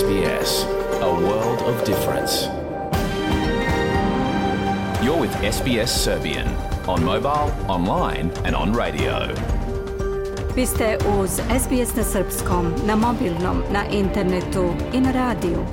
SBS, a world of difference. You're with SBS Serbian on mobile, online and on radio. Vi ste uz SBS na srpskom, na mobilnom, na internetu i na radiju.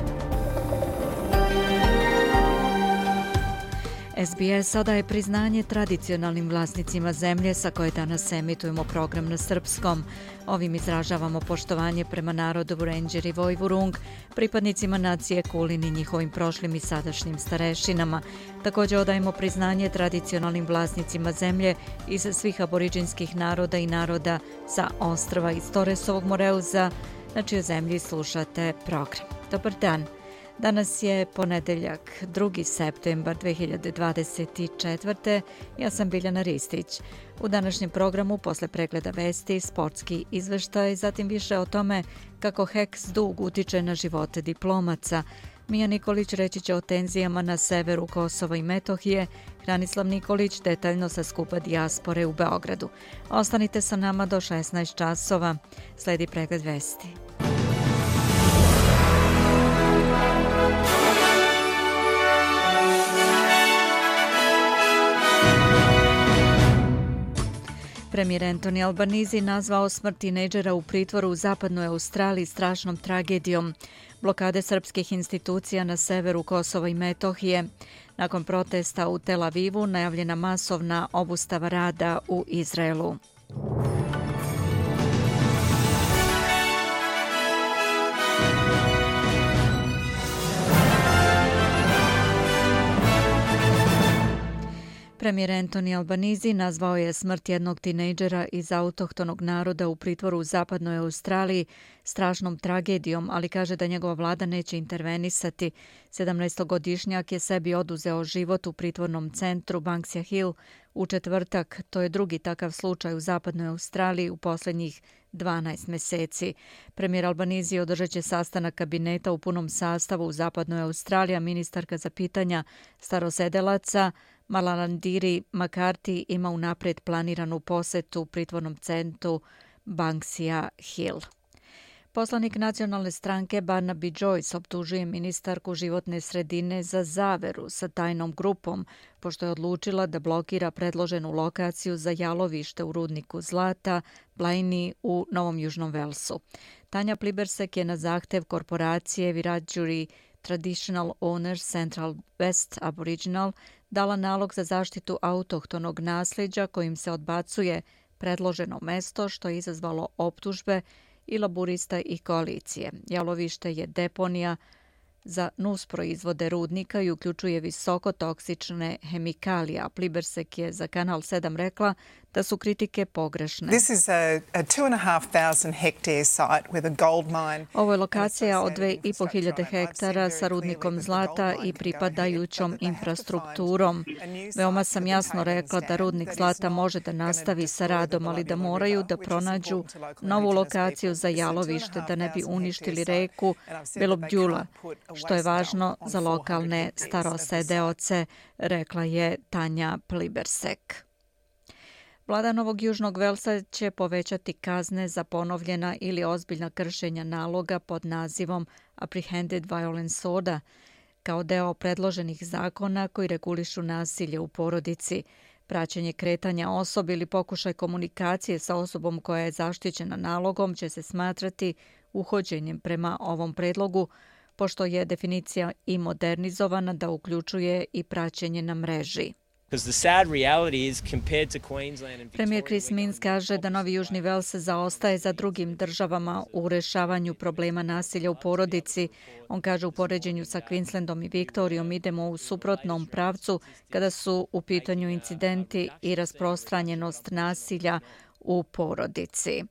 SBS odaje priznanje tradicionalnim vlasnicima zemlje sa koje danas emitujemo program na srpskom. Ovim izražavamo poštovanje prema narodu Vurenđer i Vojvurung, pripadnicima nacije Kulin i njihovim prošlim i sadašnjim starešinama. Također odajemo priznanje tradicionalnim vlasnicima zemlje iz svih aboriđinskih naroda i naroda sa ostrva iz Toresovog Moreuza, na čijoj zemlji slušate program. Dobar dan. Danas je ponedeljak, 2. septembar 2024. Ja sam Biljana Ristić. U današnjem programu, posle pregleda vesti, sportski izveštaj, zatim više o tome kako HEKS dug utiče na živote diplomaca. Mija Nikolić reći će o tenzijama na severu Kosova i Metohije, Hranislav Nikolić detaljno sa skupa dijaspore u Beogradu. Ostanite sa nama do 16 časova. Sledi pregled vesti. Premijer Anthony Albanese nazvao smrt tinejdžera u pritvoru u zapadnoj Australiji strašnom tragedijom. Blokade srpskih institucija na severu Kosova i Metohije. Nakon protesta u Tel Avivu najavljena masovna obustava rada u Izraelu. Premijer Anthony Albanese nazvao je smrt jednog tinejdžera iz autohtonog naroda u pritvoru u zapadnoj Australiji strašnom tragedijom, ali kaže da njegova vlada neće intervenisati. 17-godišnjak je sebi oduzeo život u pritvornom centru Banksia Hill u četvrtak. To je drugi takav slučaj u zapadnoj Australiji u posljednjih 12 meseci. Premijer Albanese održat će sastanak kabineta u punom sastavu u zapadnoj Australiji, a ministarka za pitanja starosedelaca Malalandiri McCarthy ima unaprijed planiranu posetu pritvornom centru Banksia Hill. Poslanik nacionalne stranke Barnaby Joyce optužuje ministarku životne sredine za zaveru sa tajnom grupom, pošto je odlučila da blokira predloženu lokaciju za jalovište u rudniku zlata Blaini u Novom Južnom Velsu. Tanja Plibersek je na zahtev korporacije Wiradjuri Traditional Owners Central West Aboriginal dala nalog za zaštitu autohtonog nasljeđa kojim se odbacuje predloženo mesto, što je izazvalo optužbe i laburista i koalicije. Jalovište je deponija za nusproizvode rudnika i uključuje visoko toksične hemikalije. Plibersek je za Kanal 7 rekla da su kritike pogrešne. Ovo je lokacija od 2.500 hektara sa rudnikom zlata i pripadajućom infrastrukturom. Veoma sam jasno rekla da rudnik zlata može da nastavi sa radom, ali da moraju da pronađu novu lokaciju za jalovište da ne bi uništili reku Belobdjula, što je važno za lokalne starosedeoce, rekla je Tanja Plibersek. Vlada Novog Južnog Velsa će povećati kazne za ponovljena ili ozbiljna kršenja naloga pod nazivom Apprehended Violence Order, kao deo predloženih zakona koji regulišu nasilje u porodici. Praćenje kretanja osobe ili pokušaj komunikacije sa osobom koja je zaštićena nalogom će se smatrati uhođenjem prema ovom predlogu, pošto je definicija i modernizovana da uključuje i praćenje na mreži. Premijer Chris Minns kaže da Novi Južni Vels zaostaje za drugim državama u rešavanju problema nasilja u porodici. On kaže u poređenju sa Queenslandom i Viktorijom idemo u suprotnom pravcu kada su u pitanju incidenti i rasprostranjenost nasilja u porodici.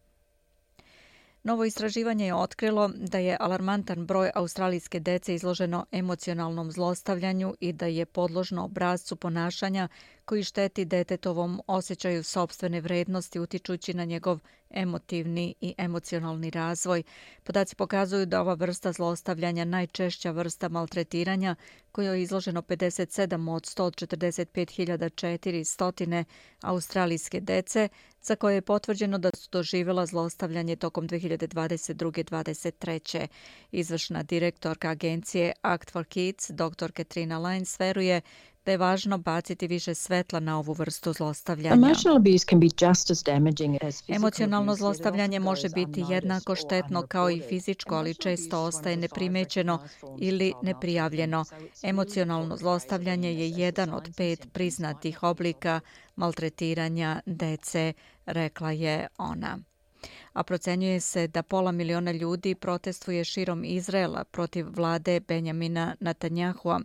Novo istraživanje je otkrilo da je alarmantan broj australijske dece izloženo emocionalnom zlostavljanju i da je podložno obrascu ponašanja koji šteti detetovom osjećaju sopstvene vrednosti utičući na njegov emotivni i emocionalni razvoj. Podaci pokazuju da ova vrsta zlostavljanja najčešća vrsta maltretiranja kojoj je izloženo 57 od 145.400 australijske dece, za koje je potvrđeno da su doživjela zlostavljanje tokom 2022-2023. Izvršna direktorka agencije Act for Kids, dr. Katrina Lyons, veruje da je važno baciti više svetla na ovu vrstu zlostavljanja. Emocionalno zlostavljanje može biti jednako štetno kao i fizičko, ali često ostaje neprimećeno ili neprijavljeno. Emocionalno zlostavljanje je jedan od 5 priznatih oblika maltretiranja dece, rekla je ona. A procenjuje se da 500.000 ljudi protestuje širom Izraela protiv vlade Benjamina Netanjahua.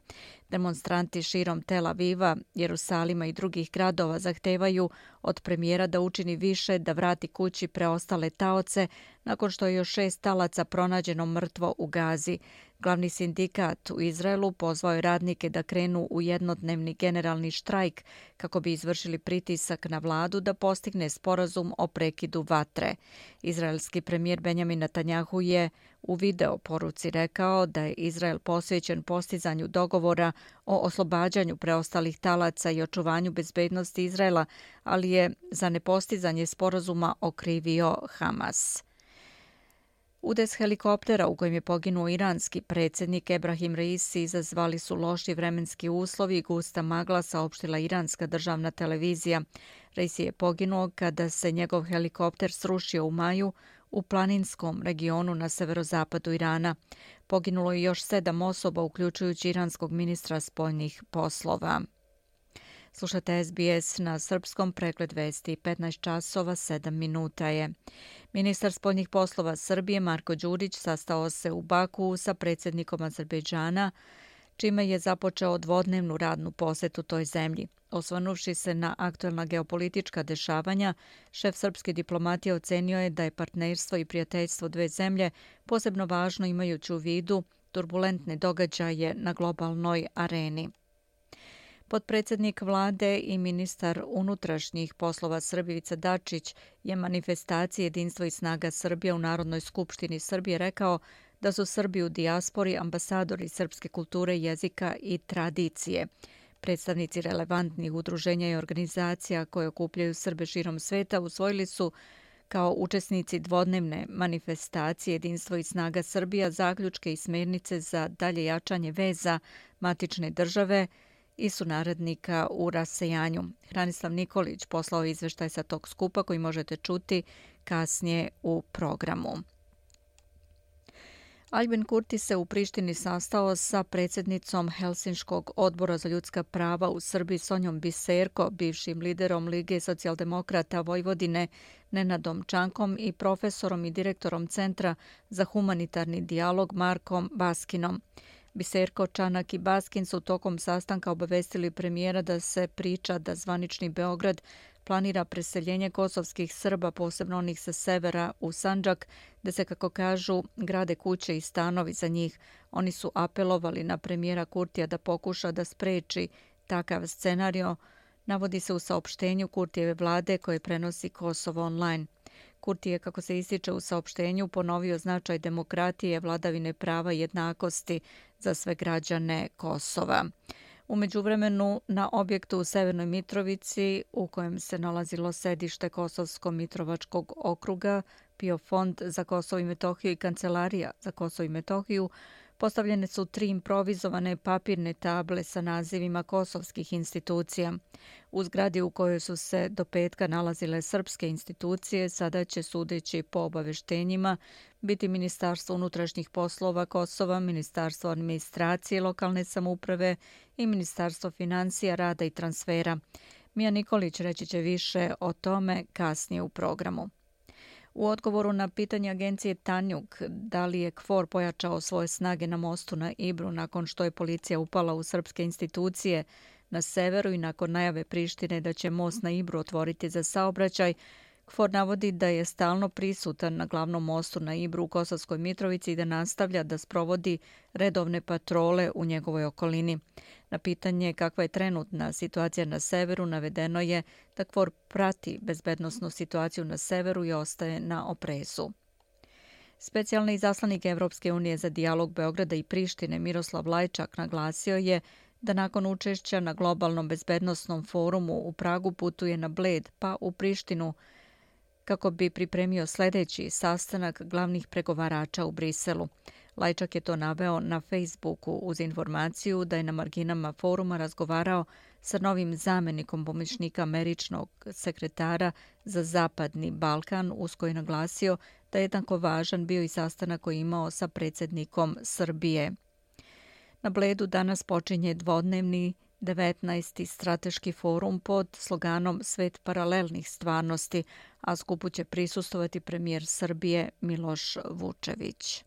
Demonstranti širom Tel Aviva, Jerusalima i drugih gradova zahtevaju od premijera da učini više da vrati kući preostale taoce nakon što je još 6 talaca pronađeno mrtvo u Gazi. Glavni sindikat u Izraelu pozvao je radnike da krenu u jednodnevni generalni štrajk kako bi izvršili pritisak na vladu da postigne sporazum o prekidu vatre. Izraelski premijer Benjamin Netanjahu je u video poruci rekao da je Izrael posvećen postizanju dogovora o oslobađanju preostalih talaca i očuvanju bezbednosti Izraela, ali je za nepostizanje sporazuma okrivio Hamas. Udes helikoptera u kojem je poginuo iranski predsjednik Ebrahim Raisi izazvali su loši vremenski uslovi i gusta magla, saopštila iranska državna televizija. Raisi je poginuo kada se njegov helikopter srušio u maju u planinskom regionu na severozapadu Irana. Poginulo je još 7 osoba, uključujući iranskog ministra spoljnih poslova. Slušate SBS na srpskom, pregled vesti 15 časova 7 minuta je. Ministar spoljnih poslova Srbije Marko Đurić sastao se u Baku sa predsjednikom Azerbejdžana, čime je započeo dvodnevnu radnu posetu toj zemlji. Osvrnuvši se na aktuelna geopolitička dešavanja, šef srpske diplomatije ocenio je da je partnerstvo i prijateljstvo dve zemlje posebno važno imajući u vidu turbulentne događaje na globalnoj areni. Potpredsjednik vlade i ministar unutrašnjih poslova Srbije Ivica Dačić je manifestaciji Jedinstvo i snaga Srbije u Narodnoj skupštini Srbije rekao da su Srbi u dijaspori ambasadori srpske kulture, jezika i tradicije. Predstavnici relevantnih udruženja i organizacija koje okupljaju Srbe širom sveta usvojili su kao učesnici dvodnevne manifestacije Jedinstvo i snaga Srbija zaključke i smjernice za dalje jačanje veza matične države i sunarodnika u rasejanju. Hranislav Nikolić poslao izveštaj sa tog skupa koji možete čuti kasnije u programu. Albin Kurti se u Prištini sastao sa predsjednicom Helsinškog odbora za ljudska prava u Srbiji Sonjom Biserko, bivšim liderom Lige socijaldemokrata Vojvodine Nenadom Čankom i profesorom i direktorom Centra za humanitarni dijalog Markom Baskinom. Biserko, Čanak i Baskin su tokom sastanka obavestili premijera da se priča da zvanični Beograd planira preseljenje kosovskih Srba, posebno onih sa severa, u Sandžak, da se, kako kažu, grade kuće i stanovi za njih. Oni su apelovali na premijera Kurtija da pokuša da spreči takav scenario, navodi se u saopštenju Kurtijeve vlade koje prenosi Kosovo online. Kurti je, kako se ističe u saopštenju, ponovio značaj demokratije, vladavine prava i jednakosti za sve građane Kosova. U međuvremenu, na objektu u Severnoj Mitrovici, u kojem se nalazilo sedište Kosovsko-Mitrovačkog okruga, PIO fond za Kosovo i Metohiju i Kancelarija za Kosovo i Metohiju, postavljene su 3 improvizovane papirne table sa nazivima kosovskih institucija. U zgradi u kojoj su se do petka nalazile srpske institucije, sada će, sudeći po obaveštenjima, biti Ministarstvo unutrašnjih poslova Kosova, Ministarstvo administracije lokalne samouprave i Ministarstvo financija, rada i transfera. Mija Nikolić reći će više o tome kasnije u programu. U odgovoru na pitanje agencije Tanjug da li je KFOR pojačao svoje snage na mostu na Ibru nakon što je policija upala u srpske institucije na severu i nakon najave Prištine da će most na Ibru otvoriti za saobraćaj, KFOR navodi da je stalno prisutan na glavnom mostu na Ibru u Kosovskoj Mitrovici i da nastavlja da sprovodi redovne patrole u njegovoj okolini. Na pitanje kakva je trenutna situacija na severu navedeno je da KFOR prati bezbednosnu situaciju na severu i ostaje na oprezu. Specijalni izaslanik Evropske unije za dijalog Beograda i Prištine Miroslav Lajčak naglasio je da nakon učešća na globalnom bezbednosnom forumu u Pragu putuje na Bled pa u Prištinu kako bi pripremio sljedeći sastanak glavnih pregovarača u Briselu. Lajčak je to naveo na Facebooku uz informaciju da je na marginama foruma razgovarao sa novim zamjenikom pomoćnika američkog sekretara za Zapadni Balkan, uz koji je naglasio da je jednako važan bio i sastanak koji je imao sa predsjednikom Srbije. Na Bledu danas počinje dvodnevni 19. strateški forum pod sloganom Svet paralelnih stvarnosti, a skupu će prisustvovati premijer Srbije Miloš Vučević.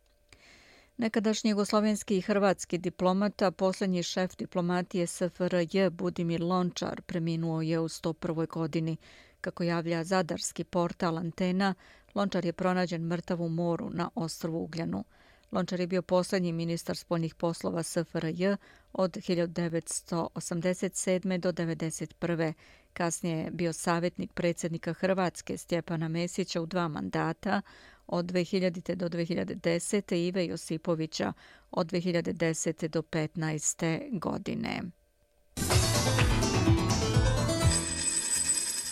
Nekadašnji jugoslovenski i hrvatski diplomata, posljednji šef diplomatije SFRJ Budimir Lončar preminuo je u 101. godini. Kako javlja zadarski portal Antena, Lončar je pronađen mrtav u moru na ostrvu Ugljanu. Lončar je bio posljednji ministar spoljnih poslova SFRJ od 1987. do 1991. Kasnije je bio savjetnik predsjednika Hrvatske Stjepana Mesića u 2 mandata, od 2000. do 2010. Ive Josipovića od 2010. do 2015. godine.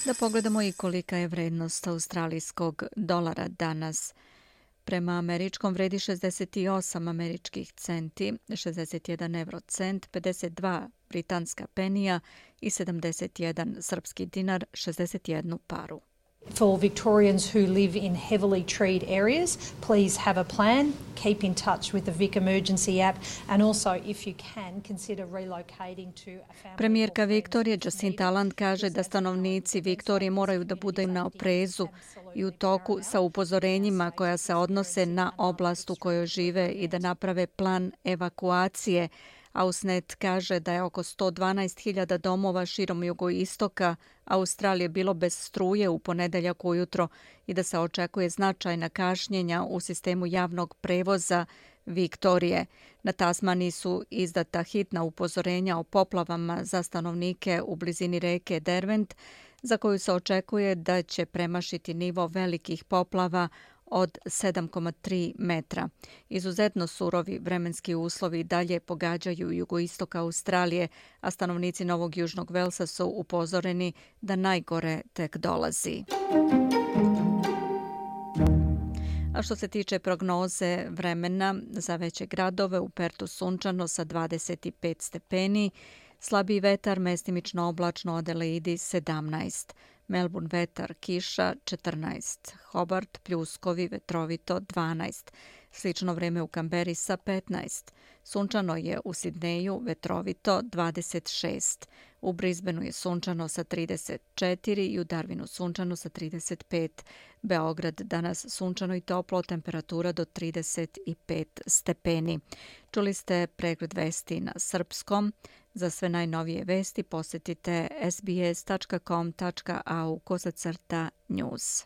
Da pogledamo i kolika je vrednost australijskog dolara danas. Prema američkom vredi 68 američkih centi, 61 eurocent, 52 britanska penija i 71 srpski dinar, 61 paru. For Victorians who live in heavily treed areas, please have a plan, keep in touch with the Vic Emergency app and also if you can consider relocating to a family. Premijerka Viktorije Jacinta Ardern kaže da stanovnici Viktorije moraju da budu na oprezu i u toku sa upozorenjima koja se odnose na oblast u kojoj žive i da naprave plan evakuacije. Ausnet kaže da je oko 112.000 domova širom jugoistoka Australije bilo bez struje u ponedeljak ujutro i da se očekuje značajna kašnjenja u sistemu javnog prevoza Viktorije. Na Tasmaniji su izdata hitna upozorenja o poplavama za stanovnike u blizini reke Derwent, za koju se očekuje da će premašiti nivo velikih poplava od 7,3 metra. Izuzetno surovi vremenski uslovi dalje pogađaju jugoistok Australije, a stanovnici Novog Južnog Velsa su upozoreni da najgore tek dolazi. A što se tiče prognoze vremena za veće gradove, u Pertu sunčano sa 25 stepeni, slabiji vetar, mestimično oblačno, Adelaidi 17. Melbourne vetar, kiša 14, Hobart pljuskovi, vetrovito 12, slično vrijeme u Kamberi sa 15, sunčano je u Sidneju, vetrovito 26, u Brisbaneu je sunčano sa 34 i u Darwinu sunčano sa 35, Beograd danas sunčano i toplo, temperatura do 35 stepeni. Čuli ste pregled vesti na srpskom. Za sve najnovije vesti posjetite sbs.com.au/news.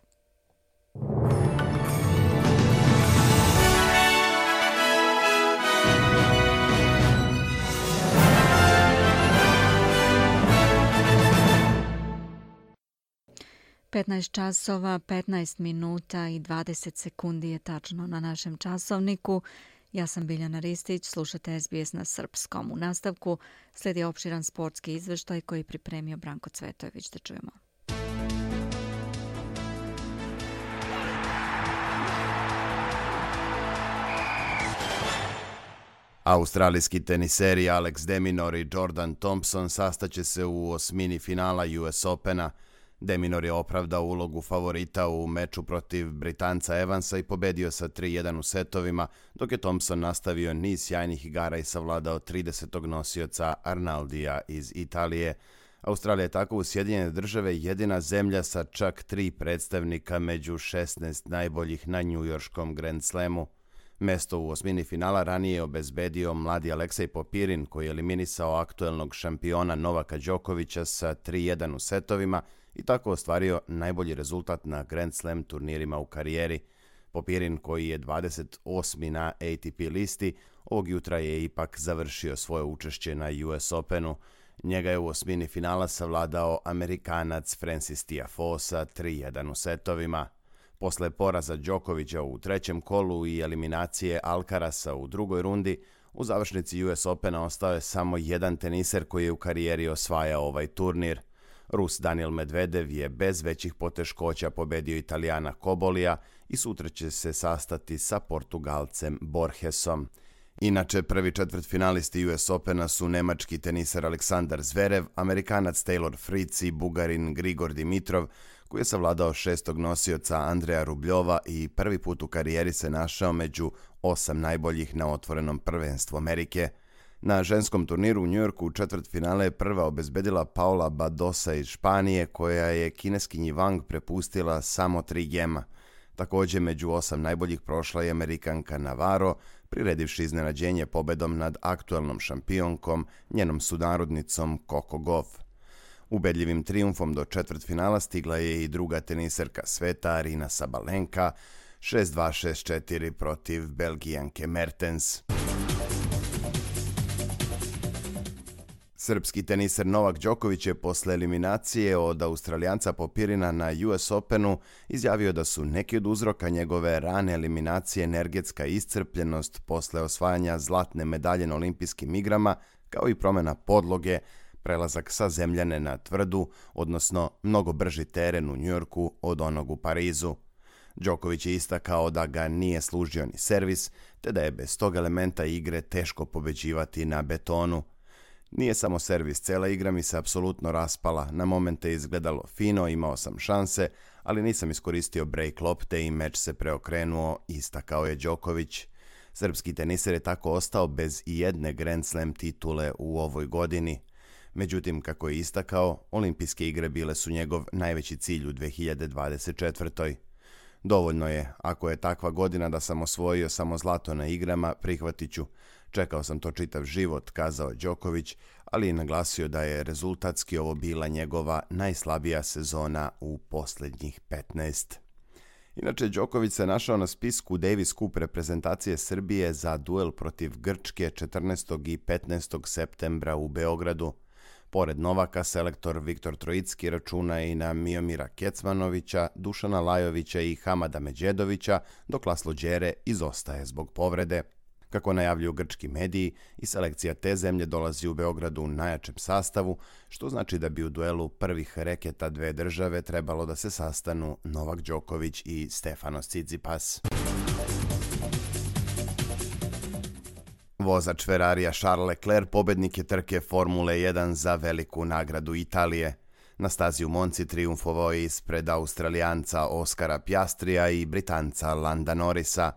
časova, 15 minuta i 20 sekundi je tačno na našem časovniku. Ja sam Biljana Ristić, slušate SBS na srpskom. U nastavku slijedi opširan sportski izveštaj koji je pripremio Branko Cvetojević. Da čujemo. Australijski teniseri Alex de Minaur i Jordan Thompson sastaće se u osmini finala US Opena. De Minaur je opravdao ulogu favorita u meču protiv Britanca Evansa i pobedio sa 3-1 u setovima, dok je Thompson nastavio niz sjajnih igara i savladao 30. nosioca Arnaldija iz Italije. Australija je tako u Sjedinjene Države jedina zemlja sa čak 3 predstavnika među 16 najboljih na njujorškom Grand Slamu. Mesto u osmini finala ranije je obezbedio mladi Aleksej Popirin, koji je eliminisao aktuelnog šampiona Novaka Đokovića sa 3-1 u setovima i tako ostvario najbolji rezultat na Grand Slam turnirima u karijeri. Popirin, koji je 28. na ATP listi, ovog jutra je ipak završio svoje učešće na US Openu. Njega je u osmini finala savladao Amerikanac Francis Tiafoe sa 3-1 u setovima. Posle poraza Đokovića u trećem kolu i eliminacije Alcarasa u drugoj rundi, u završnici US Opena ostao je samo jedan teniser koji je u karijeri osvajao ovaj turnir. Rus Daniil Medvedev je bez većih poteškoća pobedio Italijana Cobolija i sutra će se sastati sa Portugalcem Borgesom. Inače, prvi četvrtfinalisti US Opena su nemački teniser Aleksandar Zverev, Amerikanac Taylor Fritz i Bugarin Grigor Dimitrov, koji je savladao šestog nosioca Andreja Rubljova i prvi put u karijeri se našao među 8 najboljih na otvorenom prvenstvu Amerike. Na ženskom turniru u Njujorku u četvrtfinale je prva obezbedila Paula Badosa iz Španije, koja je kineskinji Wang prepustila samo 3 gema. Također među 8 najboljih prošla je Amerikanka Navarro, priredivši iznenađenje pobedom nad aktuelnom šampionkom, njenom sunarodnicom Coco Gauff. Ubedljivim trijumfom do četvrtfinala stigla je i druga teniserka sveta Aryna Sabalenka, 6-2-6-4 protiv Belgijanke Mertens. Srpski teniser Novak Đoković je posle eliminacije od Australijanca Popirina na US Openu izjavio da su neki od uzroka njegove rane eliminacije energetska iscrpljenost posle osvajanja zlatne medalje na olimpijskim igrama, kao i promjena podloge, prelazak sa zemljane na tvrdu, odnosno mnogo brži teren u Njujorku od onog u Parizu. Đoković je istakao da ga nije služio ni servis, te da je bez tog elementa igre teško pobeđivati na betonu. Nije samo servis, cela igra mi se apsolutno raspala, na momente je izgledalo fino, imao sam šanse, ali nisam iskoristio break lopte i meč se preokrenuo, istakao je Đoković. Srpski teniser je tako ostao bez i jedne Grand Slam titule u ovoj godini. Međutim, kako je istakao, olimpijske igre bile su njegov najveći cilj u 2024. Dovoljno je, ako je takva godina da sam osvojio samo zlato na igrama, prihvatit ću. Čekao sam to čitav život, kazao Đoković, ali je naglasio da je rezultatski ovo bila njegova najslabija sezona u posljednjih 15. Inače, Đoković se našao na spisku Davis Cup reprezentacije Srbije za duel protiv Grčke 14. i 15. septembra u Beogradu. Pored Novaka, selektor Viktor Trojicki računa i na Miomira Kecmanovića, Dušana Lajovića i Hamada Međedovića, dok Laslo Đere izostaje zbog povrede. Kako najavljuju grčki mediji, i selekcija te zemlje dolazi u Beogradu u najjačem sastavu, što znači da bi u duelu prvih reketa dve države trebalo da se sastanu Novak Đoković i Stefanos Tsitsipas. Vozač Ferrarija Charles Leclerc pobednik je trke Formule 1 za veliku nagradu Italije. Na stazi u Monci trijumfovao je ispred Australijanca Oskara Piastrija i Britanca Landa Norrisa.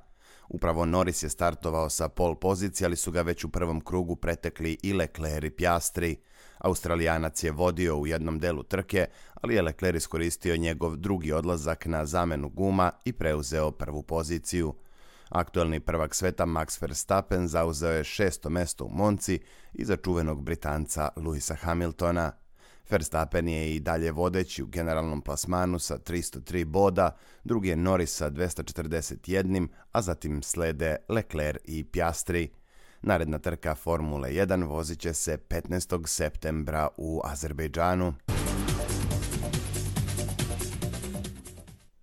Upravo Norris je startovao sa pole pozicije, ali su ga već u prvom krugu pretekli i Leclerc i Piastri. Australijanac je vodio u jednom delu trke, ali je Leclerc iskoristio njegov drugi odlazak na zamenu guma i preuzeo prvu poziciju. Aktuelni prvak sveta Max Verstappen zauzeo je 6. mesto u Monci iza čuvenog Britanca Lewisa Hamiltona. Verstappen je i dalje vodeći u generalnom plasmanu sa 303 boda, drugi je Norris sa 241, a zatim slede Leclerc i Piastri. Naredna trka Formule 1 vozit će se 15. septembra u Azerbejdžanu.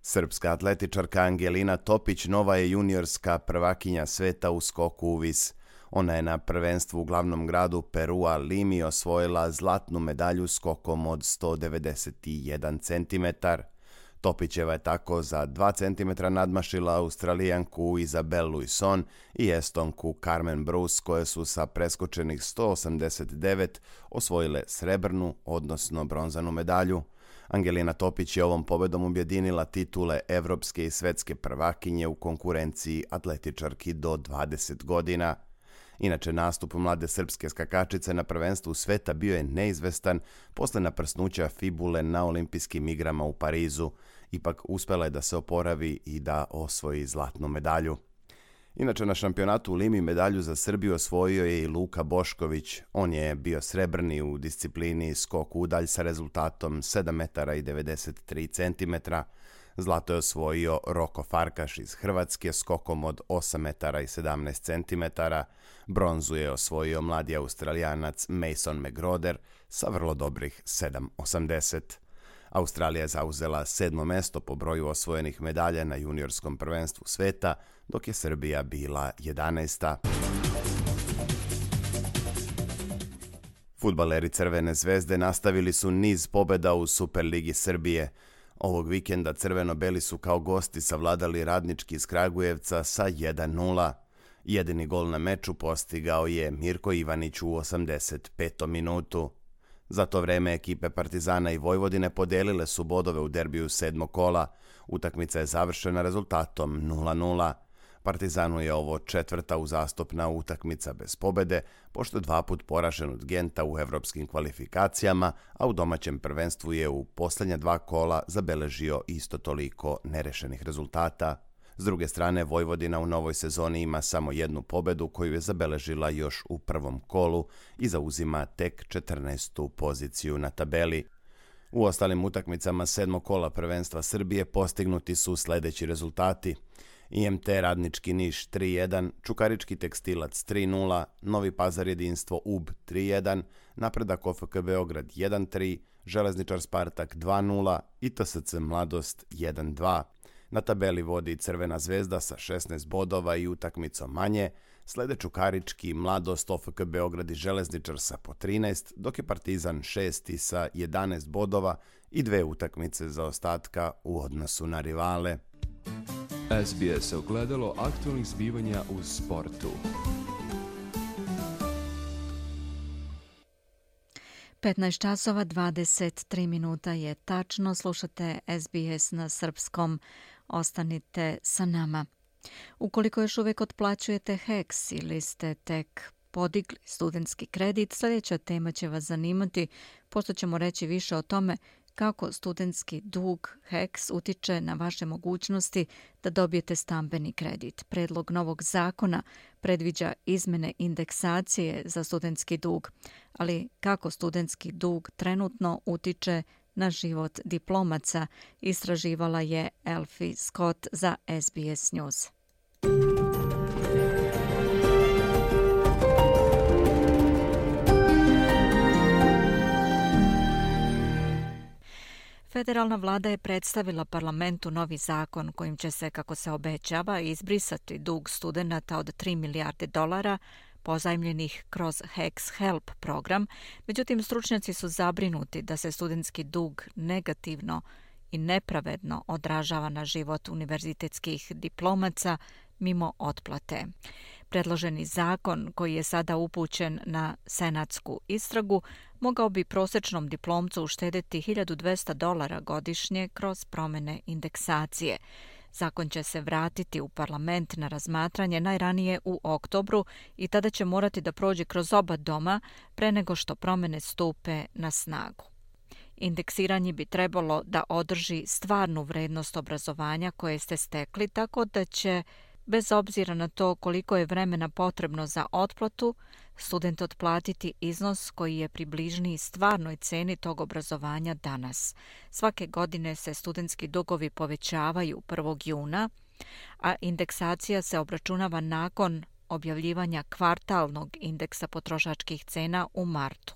Srpska atletičarka Angelina Topić nova je juniorska prvakinja sveta u skoku u vis. Ona je na prvenstvu u glavnom gradu Perua Limi osvojila zlatnu medalju skokom od 191 cm. Topićeva je tako za 2 cm nadmašila Australijanku Isabelle Luison i Estonku Carmen Bruce, koje su sa preskočenih 189 osvojile srebrnu, odnosno bronzanu medalju. Angelina Topić je ovom pobedom objedinila titule evropske i svetske prvakinje u konkurenciji atletičarki do 20 godina. Inače, nastup mlade srpske skakačice na prvenstvu sveta bio je neizvestan posle naprsnuća fibule na olimpijskim igrama u Parizu. Ipak uspela je da se oporavi i da osvoji zlatnu medalju. Inače, na šampionatu u Limi medalju za Srbiju osvojio je i Luka Bošković. On je bio srebrni u disciplini skok udalj sa rezultatom 7,93 m. Zlato je osvojio Roko Farkaš iz Hrvatske skokom od 8 metara i 17 centimetara, bronzu je osvojio mladi Australijanac Mason McGroder sa vrlo dobrih 7,80. Australija je zauzela 7. mesto po broju osvojenih medalja na juniorskom prvenstvu sveta, dok je Srbija bila 11. Fudbaleri Crvene zvezde nastavili su niz pobjeda u Superligi Srbije. Ovog vikenda crveno-beli su kao gosti savladali Radnički iz Kragujevca sa 1:0. Jedini gol na meču postigao je Mirko Ivanić u 85. minutu. Za to vreme ekipe Partizana i Vojvodine podelile su bodove u derbiju 7. kola. Utakmica je završena rezultatom 0:0. Partizanu je ovo 4. uzastopna utakmica bez pobede, pošto je 2 put poražen od Genta u evropskim kvalifikacijama, a u domaćem prvenstvu je u posljednja 2 kola zabeležio isto toliko nerešenih rezultata. S druge strane, Vojvodina u novoj sezoni ima samo 1 pobedu koju je zabeležila još u prvom kolu i zauzima tek 14. poziciju na tabeli. U ostalim utakmicama 7. kola prvenstva Srbije postignuti su sljedeći rezultati: IMT Radnički Niš 3:1, Čukarički Tekstilac 3:0, Novi Pazar Jedinstvo UB 3:1, Napredak OFK Beograd 1:3, Železničar Spartak 2:0 i TSC Mladost 1:2. Na tabeli vodi Crvena zvezda sa 16 bodova i utakmicom manje, slede Čukarički, Mladost, OFK Beograd i Železničar sa po 13, dok je Partizan 6. sa 11 bodova i 2 utakmice zaostatka u odnosu na rivale. SBS ogledalo aktualnih zbivanja u sportu. 15 časova 23 minuta je tačno. Slušate SBS na srpskom. Ostanite sa nama. Ukoliko još uvijek otplaćujete HEX ili ste tek podigli studentski kredit, sljedeća tema će vas zanimati, pošto ćemo reći više o tome kako studentski dug HEX utiče na vaše mogućnosti da dobijete stambeni kredit. Predlog novog zakona predviđa izmene indeksacije za studentski dug, ali kako studentski dug trenutno utiče na život diplomaca, istraživala je Elfie Scott za SBS News. Federalna vlada je predstavila parlamentu novi zakon kojim će se, kako se obećava, izbrisati dug studenata od $3 milijarde pozajmljenih kroz HEX Help program. Međutim, stručnjaci su zabrinuti da se studentski dug negativno i nepravedno odražava na život univerzitetskih diplomaca mimo otplate. Predloženi zakon, koji je sada upućen na senatsku istragu, mogao bi prosječnom diplomcu uštedeti $1.200 godišnje kroz promjene indeksacije. Zakon će se vratiti u parlament na razmatranje najranije u oktobru i tada će morati da prođe kroz oba doma pre nego što promjene stupe na snagu. Indeksiranje bi trebalo da održi stvarnu vrednost obrazovanja koje ste stekli, tako da će, bez obzira na to koliko je vremena potrebno za otplatu, student otplatiti iznos koji je približniji stvarnoj ceni tog obrazovanja danas. Svake godine se studentski dugovi povećavaju 1. juna, a indeksacija se obračunava nakon objavljivanja kvartalnog indeksa potrošačkih cena u martu.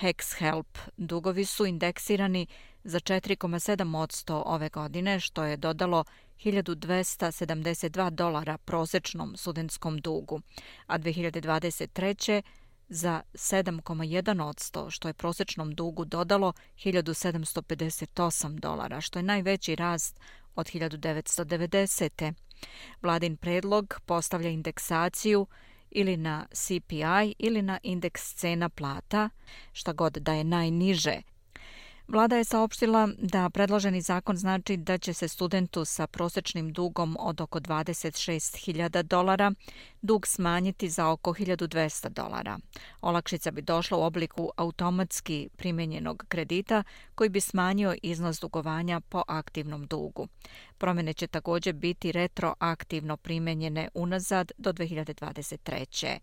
HEX Help dugovi su indeksirani za 4,7% ove godine, što je dodalo $1.272 prosječnom studentskom dugu, a 2023. za 7,1%, što je prosječnom dugu dodalo $1.758, što je najveći rast od 1990. Vladin predlog postavlja indeksaciju ili na CPI ili na indeks cena plata, šta god da je najniže. Vlada je saopštila da predloženi zakon znači da će se studentu sa prosječnim dugom od oko $26.000 dug smanjiti za oko $1.200. Olakšica bi došla u obliku automatski primjenjenog kredita koji bi smanjio iznos dugovanja po aktivnom dugu. Promjene će također biti retroaktivno primjenjene unazad do 2023.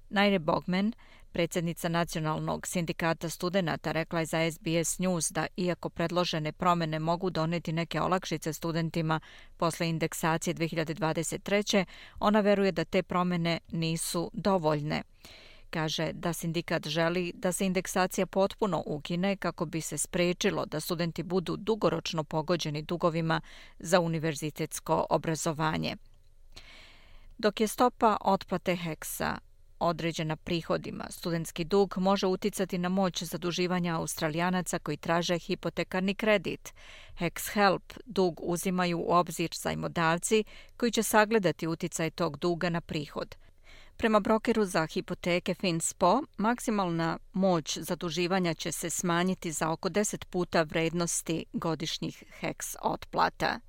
Naire Bogman, Predsjednica Nacionalnog sindikata studenata rekla je za SBS News da iako predložene promjene mogu doneti neke olakšice studentima posle indeksacije 2023. ona veruje da te promjene nisu dovoljne. Kaže da sindikat želi da se indeksacija potpuno ukine kako bi se sprečilo da studenti budu dugoročno pogođeni dugovima za univerzitetsko obrazovanje. Dok je stopa otplate HEX-a određena prihodima, studentski dug može uticati na moć zaduživanja Australijanaca koji traže hipotekarni kredit. HEX Help dug uzimaju u obzir zajmodavci koji će sagledati uticaj tog duga na prihod. Prema brokeru za hipoteke FinSpo, maksimalna moć zaduživanja će se smanjiti za oko 10 puta vrednosti godišnjih HEX otplata.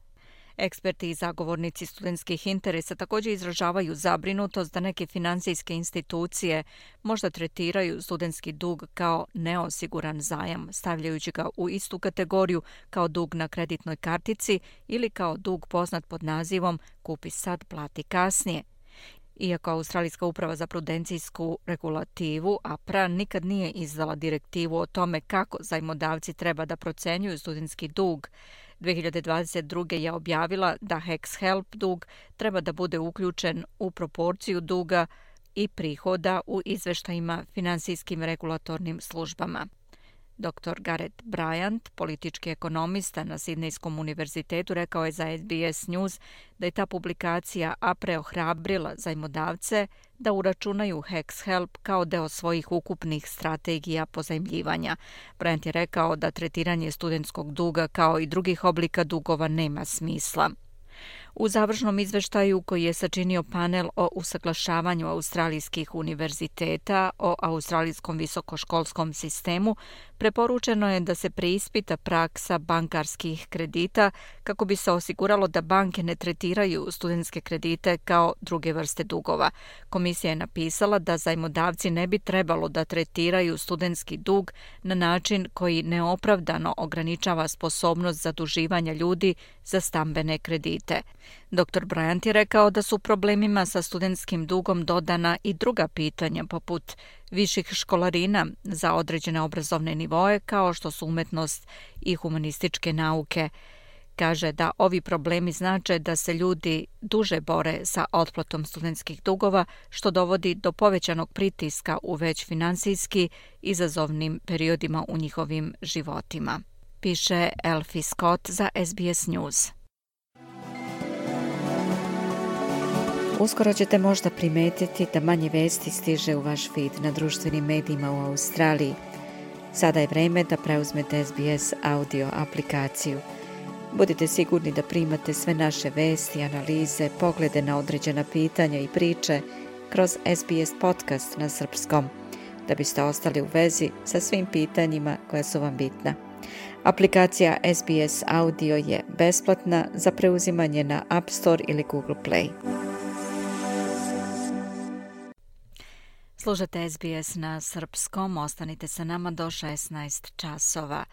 Eksperti i zagovornici studentskih interesa također izražavaju zabrinutost da neke finansijske institucije možda tretiraju studentski dug kao neosiguran zajam, stavljajući ga u istu kategoriju kao dug na kreditnoj kartici ili kao dug poznat pod nazivom kupi sad, plati kasnije. Iako Australijska uprava za prudencijsku regulativu, APRA, nikad nije izdala direktivu o tome kako zajmodavci treba da procenjuju studentski dug, 2022. je objavila da HEX Help dug treba da bude uključen u proporciju duga i prihoda u izveštajima finansijskim regulatornim službama. Dr. Gareth Bryant, politički ekonomista na Sidnejskom univerzitetu, rekao je za SBS News da je ta publikacija APRE ohrabrila zajmodavce da uračunaju HEX Help kao deo svojih ukupnih strategija pozajmljivanja. Bryant je rekao da tretiranje studentskog duga kao i drugih oblika dugova nema smisla. U završnom izveštaju koji je sačinio panel o usaglašavanju australijskih univerziteta o australijskom visokoškolskom sistemu, preporučeno je da se preispita praksa bankarskih kredita kako bi se osiguralo da banke ne tretiraju studentske kredite kao druge vrste dugova. Komisija je napisala da zajmodavci ne bi trebalo da tretiraju studentski dug na način koji neopravdano ograničava sposobnost zaduživanja ljudi za stambene kredite. Dr. Bryant je rekao da su problemima sa studentskim dugom dodana i druga pitanja poput viših školarina za određene obrazovne nivoe kao što su umetnost i humanističke nauke. Kaže da ovi problemi znače da se ljudi duže bore sa otplatom studentskih dugova, što dovodi do povećanog pritiska u već finansijski izazovnim periodima u njihovim životima. Piše Elfie Scott za SBS News. Uskoro ćete možda primetiti da manje vesti stiže u vaš feed na društvenim medijima u Australiji. Sada je vreme da preuzmete SBS audio aplikaciju. Budite sigurni da primate sve naše vesti, analize, poglede na određena pitanja i priče kroz SBS podcast na srpskom, da biste ostali u vezi sa svim pitanjima koja su vam bitna. Aplikacija SBS Audio je besplatna za preuzimanje na App Store ili Google Play. Slušate SBS na srpskom, ostanite sa nama do 16 časova.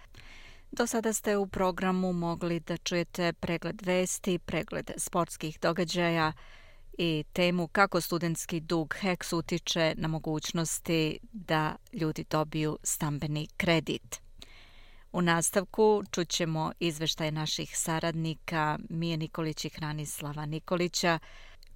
Do sada ste u programu mogli da čujete pregled vesti, pregled sportskih događaja i temu kako studentski dug HEX utiče na mogućnosti da ljudi dobiju stambeni kredit. U nastavku čućemo izveštaje naših saradnika Mije Nikolić i Hranislava Nikolića,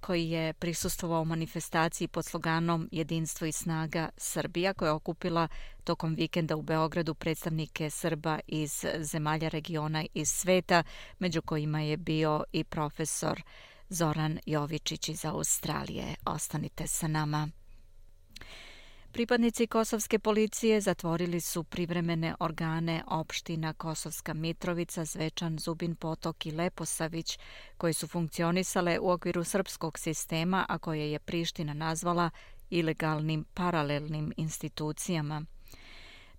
koji je prisustvovao manifestaciji pod sloganom Jedinstvo i snaga Srbija, koja je okupila tokom vikenda u Beogradu predstavnike Srba iz zemalja regiona i sveta, među kojima je bio i profesor Zoran Jovičić iz Australije. Ostanite sa nama. Pripadnici kosovske policije zatvorili su privremene organe opština Kosovska Mitrovica, Zvečan, Zubin Potok i Leposavić, koje su funkcionisale u okviru srpskog sistema, a koje je Priština nazvala ilegalnim paralelnim institucijama.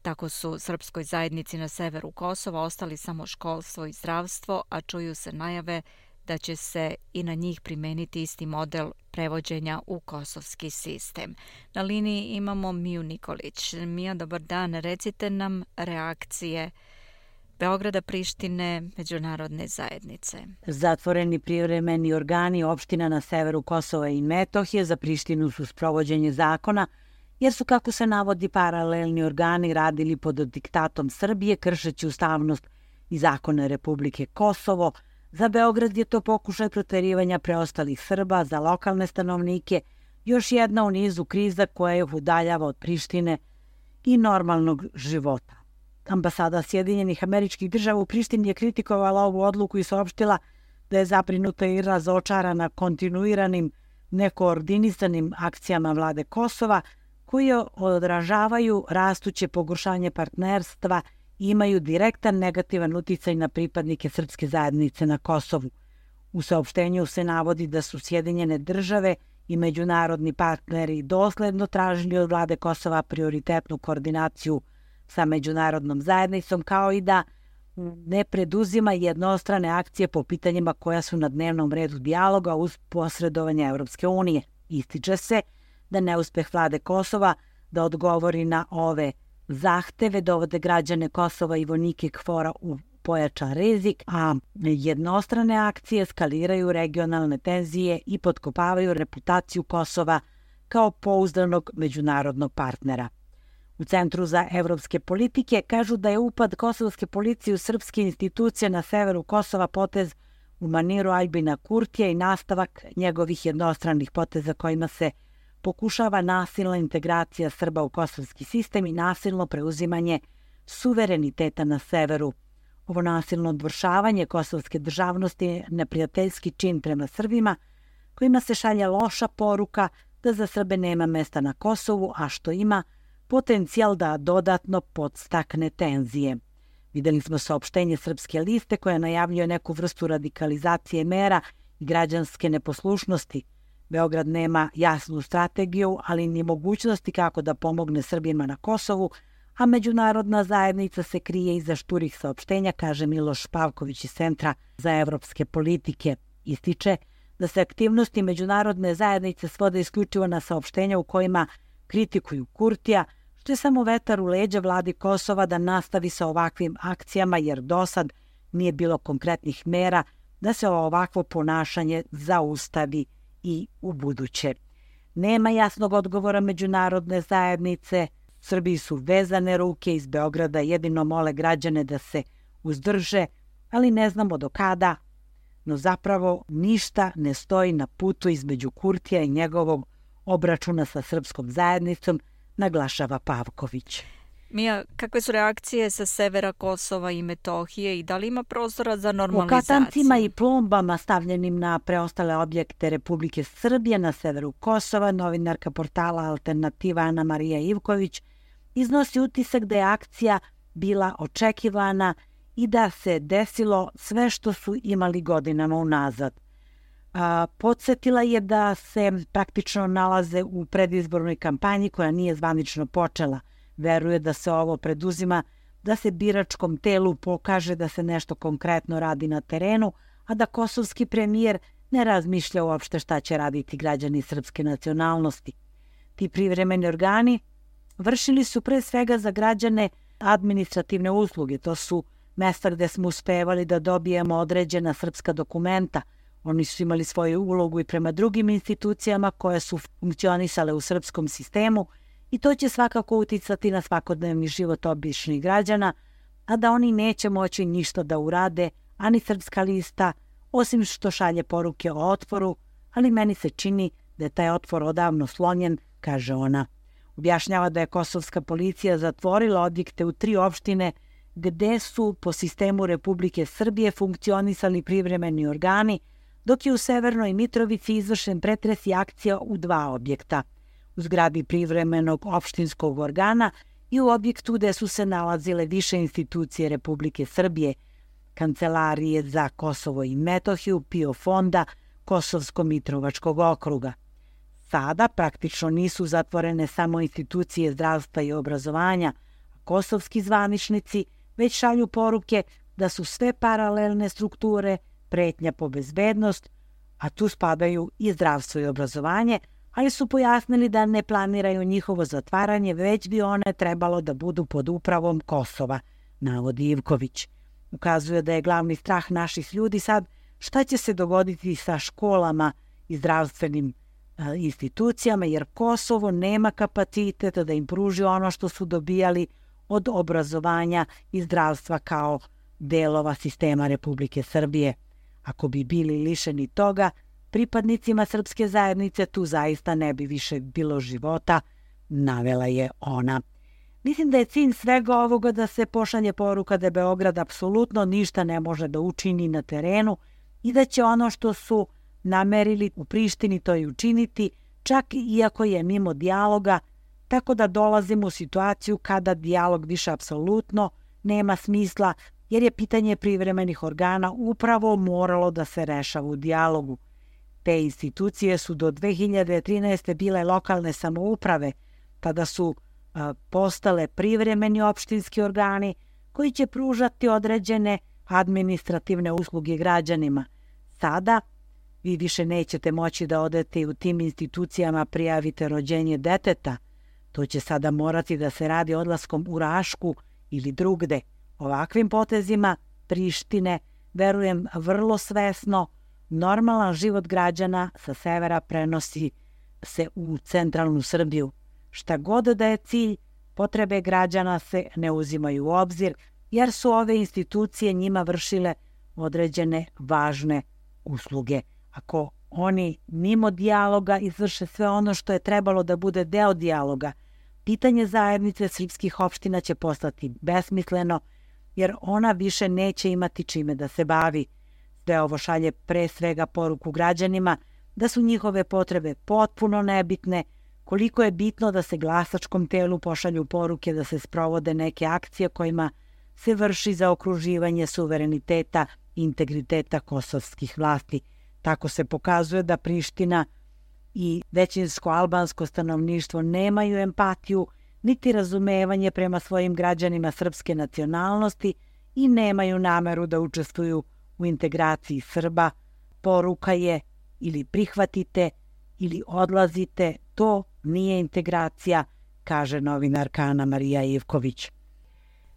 Tako su srpskoj zajednici na severu Kosova ostali samo školstvo i zdravstvo, a čuju se najave da će se i na njih primeniti isti model prevođenja u kosovski sistem. Na liniji imamo Miju Nikolić. Mija, dobar dan. Recite nam reakcije Beograda, Prištine, međunarodne zajednice. Zatvoreni privremeni organi opština na severu Kosova i Metohije za Prištinu su sprovođenje zakona jer su, kako se navodi, paralelni organi radili pod diktatom Srbije, kršeći ustavnost i zakone Republike Kosovo. Za Beograd je to pokušaj proterivanja preostalih Srba, za lokalne stanovnike još jedna u nizu kriza koja ih udaljava od Prištine i normalnog života. Ambasada Sjedinjenih Američkih Država u Prištini je kritikovala ovu odluku i saopštila da je zabrinuta i razočarana kontinuiranim nekoordinisanim akcijama vlade Kosova koje odražavaju rastuće pogoršanje partnerstva i imaju direktan negativan uticaj na pripadnike srpske zajednice na Kosovu. U saopštenju se navodi da su Sjedinjene Države i međunarodni partneri dosledno tražili od vlade Kosova prioritetnu koordinaciju sa međunarodnom zajednicom, kao i da ne preduzima jednostrane akcije po pitanjima koja su na dnevnom redu dijaloga uz posredovanje Europske unije. Ističe se da neuspeh vlade Kosova da odgovori na ove zahteve dovode građane Kosova i vojnike KFOR-a u pojačan rizik, a jednostrane akcije skaliraju regionalne tenzije i potkopavaju reputaciju Kosova kao pouzdanog međunarodnog partnera. U Centru za evropske politike kažu da je upad kosovske policije u srpske institucije na severu Kosova potez u maniru Aljbina Kurtija i nastavak njegovih jednostranih poteza kojima se pokušava nasilna integracija Srba u kosovski sistem i nasilno preuzimanje suvereniteta na severu. Ovo nasilno odvršavanje kosovske državnosti je neprijateljski čin prema Srbima, kojima se šalje loša poruka da za Srbe nema mesta na Kosovu, a što ima potencijal da dodatno podstakne tenzije. Videli smo saopštenje Srpske liste koja najavljuje neku vrstu radikalizacije mera i građanske neposlušnosti. Beograd nema jasnu strategiju, ali ni mogućnosti kako da pomogne Srbima na Kosovu, a međunarodna zajednica se krije iza šturih saopštenja, kaže Miloš Pavković iz Centra za evropske politike. Ističe da se aktivnosti međunarodne zajednice svode isključivo na saopštenja u kojima kritikuju Kurtija, što je samo vetar u leđa vladi Kosova da nastavi sa ovakvim akcijama, jer dosad nije bilo konkretnih mera da se ovakvo ponašanje zaustavi i u buduće. Nema jasnog odgovora međunarodne zajednice. Srbiji su vezane ruke, iz Beograda jedino mole građane da se uzdrže, ali ne znamo do kada. No zapravo ništa ne stoji na putu između Kurtija i njegovog obračuna sa srpskom zajednicom, naglašava Pavković. Mija, kakve su reakcije sa severa Kosova i Metohije i da li ima prostora za normalizaciju? O katancima i plombama stavljenim na preostale objekte Republike Srbije na severu Kosova, novinarka portala Alternativa Ana Marija Ivković iznosi utisak da je akcija bila očekivana i da se desilo sve što su imali godinama unazad. Podsjetila je da se praktično nalaze u predizbornoj kampanji koja nije zvanično počela. Veruje da se ovo preduzima da se biračkom telu pokaže da se nešto konkretno radi na terenu, a da kosovski premijer ne razmišlja uopšte šta će raditi građani srpske nacionalnosti. Ti privremeni organi vršili su pre svega za građane administrativne usluge. To su mesta gde smo uspevali da dobijemo određena srpska dokumenta. Oni su imali svoju ulogu i prema drugim institucijama koje su funkcionisale u srpskom sistemu i to će svakako uticati na svakodnevni život običnih građana, a da oni neće moći ništa da urade, ani Srpska lista, osim što šalje poruke o otporu, ali meni se čini da je taj otpor odavno slonjen, kaže ona. Objašnjava da je kosovska policija zatvorila objekte u 3 opštine gde su po sistemu Republike Srbije funkcionisali privremeni organi, dok je u Severnoj Mitrovici izvršen pretres i akcija u 2 objekta. U zgradi privremenog opštinskog organa i u objektu gde su se nalazile više institucije Republike Srbije, Kancelarije za Kosovo i Metohiju, PIO fonda Kosovsko-Mitrovačkog okruga. Sada praktično nisu zatvorene samo institucije zdravstva i obrazovanja, a kosovski zvaničnici već šalju poruke da su sve paralelne strukture pretnja po bezbednost, a tu spadaju i zdravstvo i obrazovanje, ali su pojasnili da ne planiraju njihovo zatvaranje, već bi one trebalo da budu pod upravom Kosova, navodi Ivković. Ukazuje da je glavni strah naših ljudi sad šta će se dogoditi sa školama i zdravstvenim institucijama, jer Kosovo nema kapaciteta da im pruži ono što su dobijali od obrazovanja i zdravstva kao delova sistema Republike Srbije. Ako bi bili lišeni toga, pripadnicima srpske zajednice tu zaista ne bi više bilo života, navela je ona. Mislim da je cilj svega ovoga da se pošalje poruka da Beograd apsolutno ništa ne može da učini na terenu i da će ono što su namerili u Prištini to i učiniti, čak iako je mimo dijaloga, tako da dolazimo u situaciju kada dijalog više apsolutno nema smisla, jer je pitanje privremenih organa upravo moralo da se rešava u dijalogu. Te institucije su do 2013. bile lokalne samouprave, tada su postale privremeni opštinski organi koji će pružati određene administrativne usluge građanima. Sada vi više nećete moći da odete i u tim institucijama prijavite rođenje deteta. To će sada morati da se radi odlaskom u Rašku ili drugde. Ovakvim potezima Prištine, verujem vrlo svesno, normalan život građana sa severa prenosi se u centralnu Srbiju. Šta god da je cilj, potrebe građana se ne uzimaju u obzir, jer su ove institucije njima vršile određene važne usluge. Ako oni mimo dijaloga izvrše sve ono što je trebalo da bude deo dijaloga, pitanje zajednice srpskih opština će postati besmisleno, jer ona više neće imati čime da se bavi. Sve ovo šalje pre svega poruku građanima da su njihove potrebe potpuno nebitne, koliko je bitno da se glasačkom telu pošalju poruke da se sprovode neke akcije kojima se vrši zaokruživanje suvereniteta i integriteta kosovskih vlasti. Tako se pokazuje da Priština i većinsko albansko stanovništvo nemaju empatiju niti razumevanje prema svojim građanima srpske nacionalnosti i nemaju nameru da učestvuju u integraciji Srba. Poruka je ili prihvatite ili odlazite, to nije integracija, kaže novinarka Ana Marija Ivković.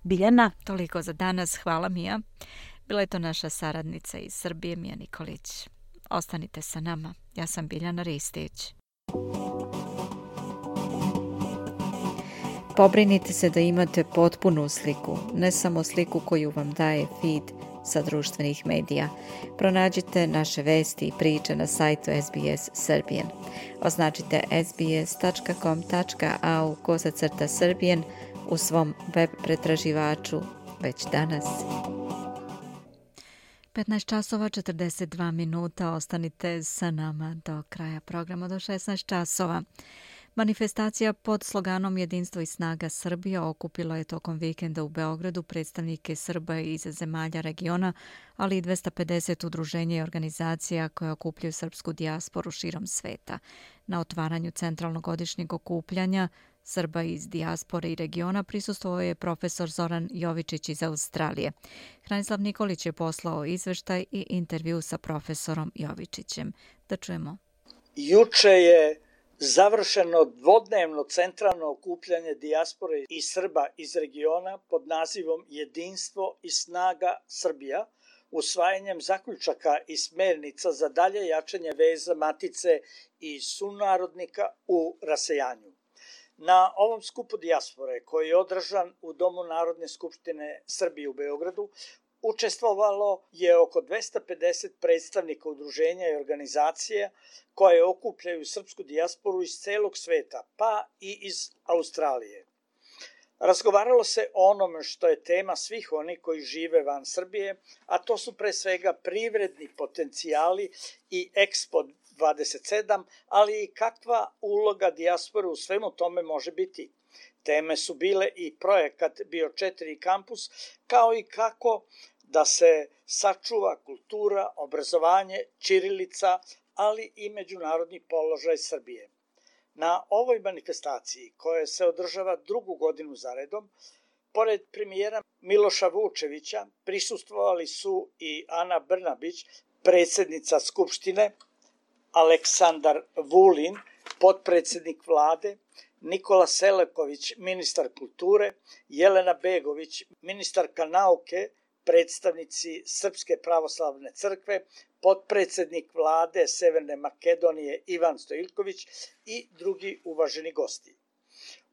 Biljana? Toliko za danas, hvala Mija. Bila je to naša saradnica iz Srbije, Mija Nikolić. Ostanite sa nama, ja sam Biljana Ristić. Pobrinite se da imate potpunu sliku, ne samo sliku koju vam daje feed sa društvenih medija. Pronađite naše vesti i priče na sajtu SBS Serbian. Označite sbs.com.au/Serbian u svom web pretraživaču već danas. 15 časova 42 minuta. Ostanite sa nama do kraja programa do 16 časova. Manifestacija pod sloganom Jedinstvo i snaga Srbija okupila je tokom vikenda u Beogradu predstavnike Srba iz zemalja regiona, ali i 250 udruženja i organizacija koje okupljaju srpsku dijasporu širom sveta. Na otvaranju centralnog godišnjeg okupljanja Srba iz dijaspore i regiona prisustvovao je profesor Zoran Jovičić iz Australije. Hranislav Nikolić je poslao izveštaj i intervju sa profesorom Jovičićem. Da čujemo. Juče je završeno dvodnevno centralno okupljanje dijaspore i Srba iz regiona pod nazivom Jedinstvo i snaga Srbija, usvajanjem zaključaka i smernica za dalje jačanje veza matice i sunarodnika u rasejanju. Na ovom skupu dijaspore, koji je održan u Domu Narodne skupštine Srbije u Beogradu, učestvovalo je oko 250 predstavnika udruženja i organizacija koje okupljaju srpsku dijasporu iz celog sveta, pa i iz Australije. Razgovaralo se o onome što je tema svih onih koji žive van Srbije, a to su pre svega privredni potencijali i Expo 27, ali i kakva uloga dijaspore u svemu tome može biti. Teme su bile i projekat Bio 4 kampus, kao i kako da se sačuva kultura, obrazovanje, ćirilica, ali i međunarodni položaj Srbije. Na ovoj manifestaciji, koja se održava drugu godinu zaredom, pored premijera Miloša Vučevića, prisustvovali su i Ana Brnabić, predsjednica Skupštine, Aleksandar Vulin, potpredsjednik vlade, Nikola Selaković, ministar kulture, Jelena Begović, ministarka nauke, predstavnici Srpske pravoslavne crkve, potpredsednik vlade Severne Makedonije Ivan Stojiljković i drugi uvaženi gosti.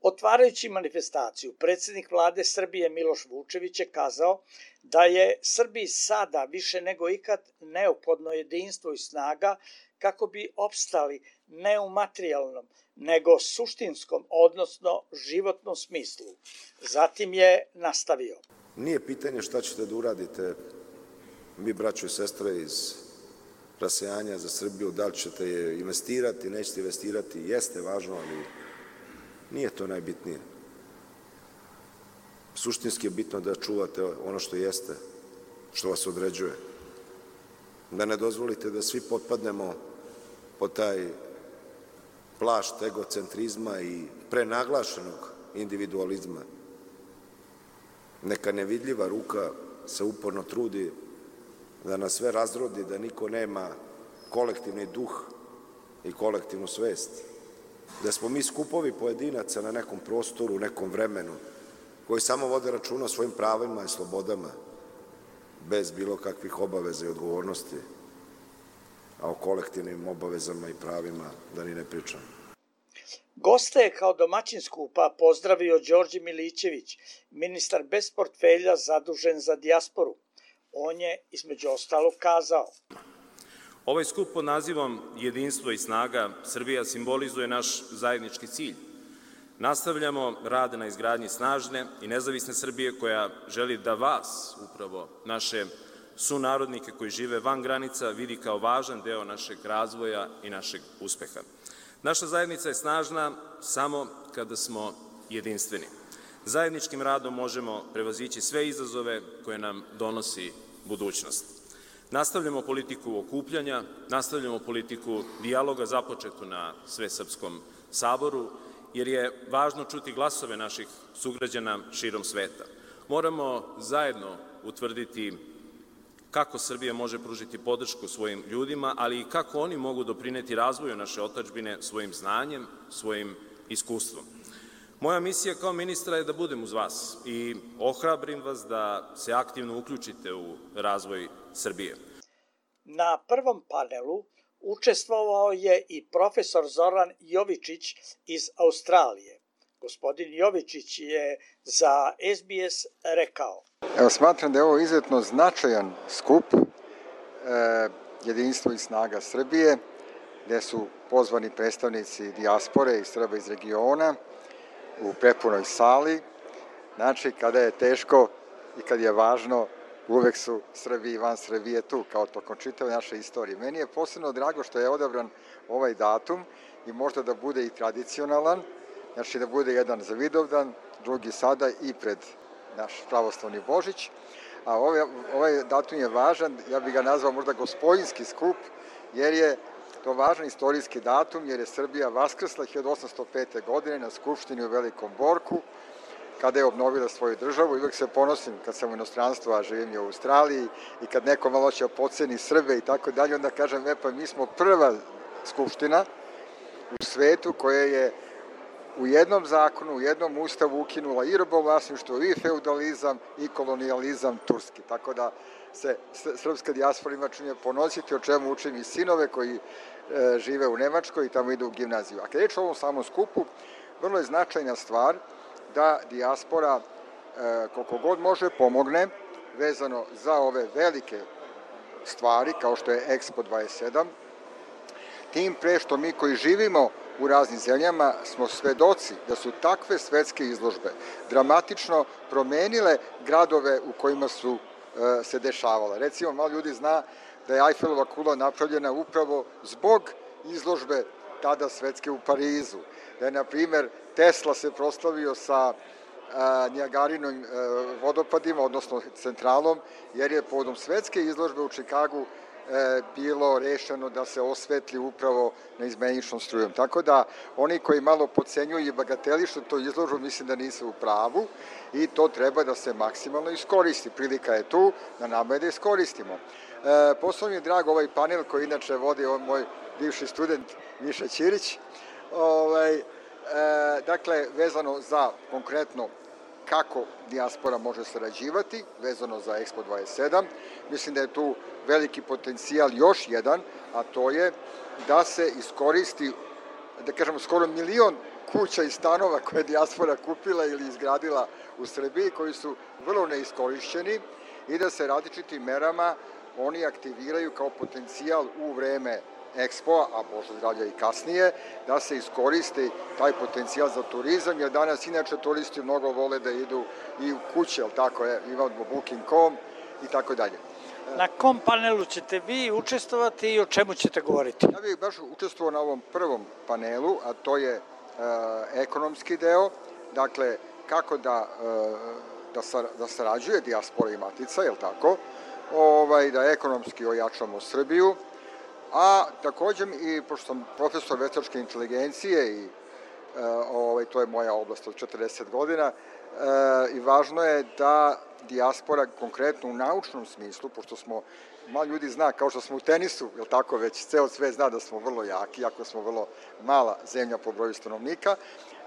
Otvarajući manifestaciju, predsjednik vlade Srbije Miloš Vučević je kazao da je Srbiji sada više nego ikad neophodno jedinstvo i snaga kako bi opstali ne u materijalnom, nego suštinskom, odnosno životnom smislu. Zatim je nastavio. Nije pitanje šta ćete da uradite, mi braćo i sestre iz Rasejanja za Srbiju, da li ćete je investirati, nećete investirati, jeste važno, ali nije to najbitnije. Suštinski je bitno da čuvate ono što jeste, što vas određuje. Da ne dozvolite da svi potpadnemo pod taj plašt egocentrizma i prenaglašenog individualizma. Neka nevidljiva ruka se uporno trudi da nas sve razrodi, da niko nema kolektivni duh i kolektivnu svest. Da smo mi skupovi pojedinaca na nekom prostoru, u nekom vremenu, koji samo vode računa o svojim pravima i slobodama, bez bilo kakvih obaveza i odgovornosti, a o kolektivnim obavezama i pravima da ni ne pričam. Goste je kao domaćin skupa pozdravio Đorđe Milićević, ministar bez portfelja zadužen za dijasporu. On je, između ostalog, kazao: Ovaj skup pod nazivom Jedinstvo i snaga Srbija simbolizuje naš zajednički cilj. Nastavljamo rad na izgradnji snažne i nezavisne Srbije koja želi da vas, upravo naše sunarodnike koji žive van granica, vidi kao važan deo našeg razvoja i našeg uspeha. Naša zajednica je snažna samo kada smo jedinstveni. Zajedničkim radom možemo prevazići sve izazove koje nam donosi budućnost. Nastavljamo politiku okupljanja, nastavljamo politiku dijaloga započetu na Svesrpskom saboru, jer je važno čuti glasove naših sugrađana širom sveta. Moramo zajedno utvrditi kako Srbija može pružiti podršku svojim ljudima, ali i kako oni mogu doprineti razvoju naše otadžbine svojim znanjem, svojim iskustvom. Moja misija kao ministra je da budem uz vas i ohrabrim vas da se aktivno uključite u razvoj Srbije. Na prvom panelu učestvovao je i profesor Zoran Jovičić iz Australije. Gospodin Jovičić je za SBS rekao: Smatram da je ovo izuzetno značajan skup Jedinstvo i snaga Srbije, gde su pozvani predstavnici dijaspore i Srba iz regiona u prepunoj sali. Znači, kada je teško i kad je važno, uvek su Srbi i van Srbije tu, kao tokom čitave naše istorije. Meni je posebno drago što je odabran ovaj datum i možda da bude i tradicionalan, znači da bude jedan za Vidovdan, drugi sada i pred naš pravoslavni Božić, a ovaj datum je važan, ja bih ga nazvao možda gospodinski skup, jer je to važan istorijski datum, jer je Srbija vaskrsla 1805. godine na Skupštini u Velikom Borku, kada je obnovila svoju državu. I uvek se ponosim kad sam u inostranstvu, a živim u Australiji, i kad neko malo će podceni Srbe i tako dalje, onda kažem, pa mi smo prva skupština u svetu koja je u jednom zakonu, u jednom ustavu ukinula i robovlasništvo, i feudalizam, i kolonijalizam turski. Tako da se srpska dijaspora ima činje ponositi, o čemu učim i sinove koji žive u Nemačkoj i tamo idu u gimnaziju. A kad je reč o ovom samom skupu, vrlo je značajna stvar da dijaspora koliko god može pomogne vezano za ove velike stvari kao što je Expo 27, tim pre što mi koji živimo u raznim zemljama smo svedoci da su takve svetske izložbe dramatično promenile gradove u kojima su se dešavale. Recimo, malo ljudi zna da je Eiffelova kula napravljena upravo zbog izložbe tada svetske u Parizu. Da je, na primer, Tesla se proslavio sa Nijagarinim vodopadima, odnosno centralom, jer je povodom svetske izložbe u Čikagu bilo rešeno da se osvetli upravo neizmeničnom strujom. Tako da oni koji malo podcenjuju i bagatelišu to izložbu, mislim da nisu u pravu i to treba da se maksimalno iskoristi. Prilika je tu, na nama je da iskoristimo. Posebno mi je drag ovaj panel koji inače vodi moj bivši student Miša Ćirić. Dakle, vezano za konkretno kako dijaspora može sarađivati vezano za Expo 27. Mislim da je tu veliki potencijal još jedan, a to je da se iskoristi, da kažemo, skoro 1 milion kuća i stanova koje je dijaspora kupila ili izgradila u Srbiji, koji su vrlo neiskorišćeni i da se različitim merama oni aktiviraju kao potencijal u vreme Expo, a Bože zdravlja i kasnije, da se iskoristi taj potencijal za turizam, jer danas inače turisti mnogo vole da idu i u kuće, ali tako je, imamo Booking.com i tako dalje. Na kom panelu ćete vi učestvovati i o čemu ćete govoriti? Ja bih baš učestvovao na ovom prvom panelu, a to je ekonomski deo, dakle, kako da sarađuje dijaspora i matica, je li tako, da ekonomski ojačamo Srbiju, a također i, pošto sam profesor veštačke inteligencije i to je moja oblast od 40 godina, i važno je da dijaspora konkretno u naučnom smislu, pošto smo, malo ljudi zna, kao što smo u tenisu, je li tako, već ceo svet zna da smo vrlo jaki, ako smo vrlo mala zemlja po broju stanovnika,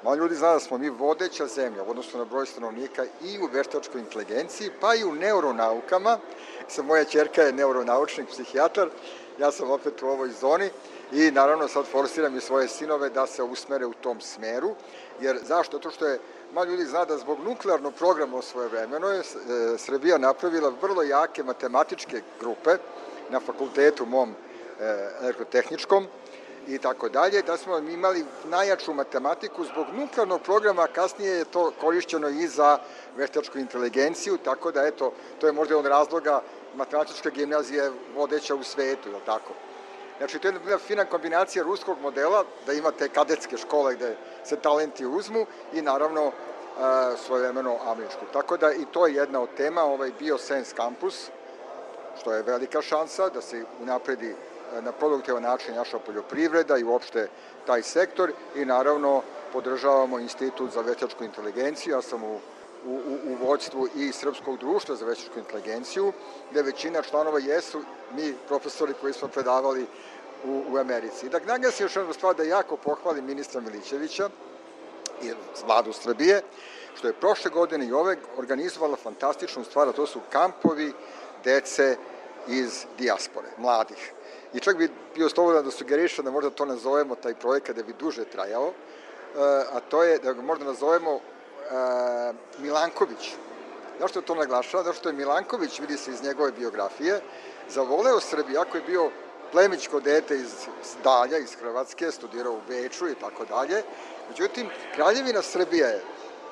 malo ljudi zna da smo mi vodeća zemlja u odnosu na broj stanovnika i u veštačkoj inteligenciji, pa i u neuronaukama. Moja ćerka je neuronaučnik, psihijatar, ja sam opet u ovoj zoni i naravno sad forsiram i svoje sinove da se usmere u tom smeru, jer zašto? To što je, malo ljudi zna da zbog nuklearnog programa u svoje vremeno je Srbija napravila vrlo jake matematičke grupe na fakultetu mom elektrotehničkom i tako dalje, da smo imali najjaču matematiku zbog nuklearnog programa, kasnije je to korišćeno i za veštačku inteligenciju, tako da eto, to je možda od razloga matematička gimnazija je vodeća u svetu, je li tako? Znači, to je jedna fina kombinacija ruskog modela, da imate kadetske škole gde se talenti uzmu i naravno svojevremeno američku. Tako da i to je jedna od tema, ovaj BioSense kampus, što je velika šansa da se unapredi na produktivan način naša poljoprivreda i uopšte taj sektor i naravno podržavamo Institut za veštačku inteligenciju. Ja sam u vođstvu i Srpskog društva za veštačku inteligenciju, gde većina članova jesu mi profesori koji smo predavali u Americi. I da naglasim još jednu stvar, da jako pohvalim ministra Milićevića i vladu Srbije, što je prošle godine i ove organizovala fantastičnu stvar, a to su kampovi dece iz dijaspore, mladih. I čak bi bio slobodan da sugerišem da možda to nazovemo, taj projekat, da bi duže trajao, a to je da ga možda nazovemo Milanković. Zašto to naglašava? Zato što je Milanković, vidi se iz njegove biografije, zavoleo Srbiju, ako je bio plemićko dete iz Dalja, iz Hrvatske, studirao u Beču i tako dalje. Međutim, Kraljevina Srbija je